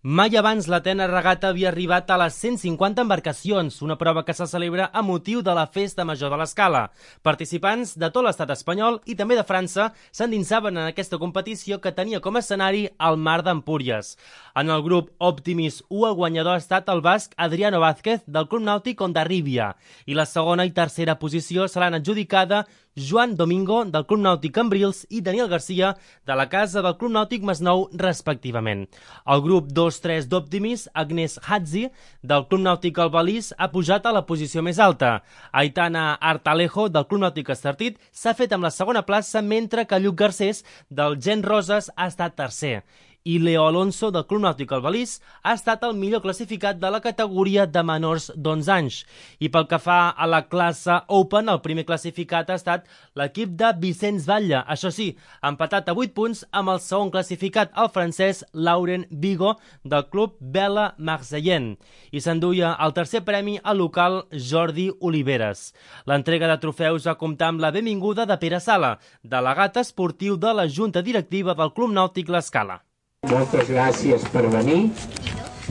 Mai abans l'Atenes Regata havia arribat a les 150 embarcacions, una prova que se celebra a motiu de la Festa Major de l'Escala. Participants de tot l'estat espanyol i també de França s'endinsaven en aquesta competició que tenia com a escenari el mar d'Empúries. En el grup Optimis 1, el guanyador ha estat el basc Adriano Vázquez del Club Nàutic Hondarribia i la segona i tercera posició seran adjudicada Joan Domingo del Club Nàutic Cambrils i Daniel Garcia de la casa del Club Nàutic Masnou, respectivament. El grup 2-3 d'Optimis, Agnès Hadzi del Club Nàutic Albalís ha pujat a la posició més alta. Aitana Artalejo del Club Nàutic Estartit s'ha fet amb la segona plaça, mentre que Lluc Garcés del Gent Roses ha estat tercer. I Leo Alonso del Club Nàutic Albalís ha estat el millor classificat de la categoria de menors d'11 anys. I pel que fa a la classe Open, el primer classificat ha estat l'equip de Vicenç Batlle, això sí, empatat a 8 punts amb el segon classificat, el francès Laurent Bigot del Club Vela Marseillent. I s'enduia el tercer premi al local Jordi Oliveres. L'entrega de trofeus va comptar amb la benvinguda de Pere Sala, delegat esportiu de la Junta Directiva del Club Nàutic L'Escala. Moltes gràcies per venir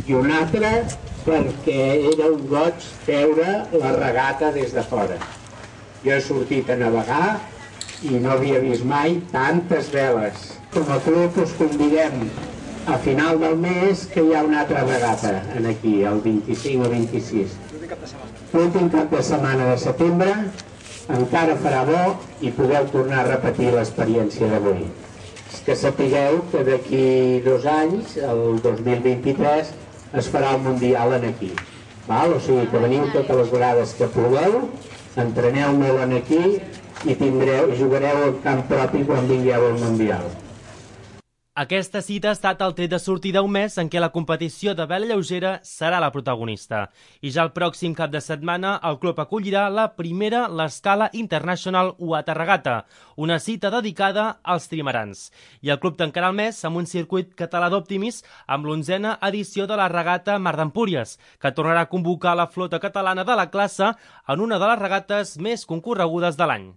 i una altra perquè era un goig veure la regata des de fora. Jo he sortit a navegar i no havia vist mai tantes veles. Com a club us convidem a final del mes que hi ha una altra regata aquí, el 25 o 26. L'últim cap de setmana de setembre encara farà bo i podeu tornar a repetir l'experiència d'avui. Que sapigueu que d'aquí 2 anys, el 2023, es farà el Mundial aquí. O sigui que veniu totes les vegades que pugueu, entreneu molt aquí i jugareu al camp propi quan vingueu al Mundial. Aquesta cita ha estat el tret de sortida un mes en què la competició de vela lleugera serà la protagonista. I ja el pròxim cap de setmana el club acollirà la primera l'Escala International Water Regata, una cita dedicada als trimarans. I el club tancarà el mes amb un circuit català d'Optimis amb l'11a edició de la regata Mar d'Empúries, que tornarà a convocar la flota catalana de la classe en una de les regates més concorregudes de l'any.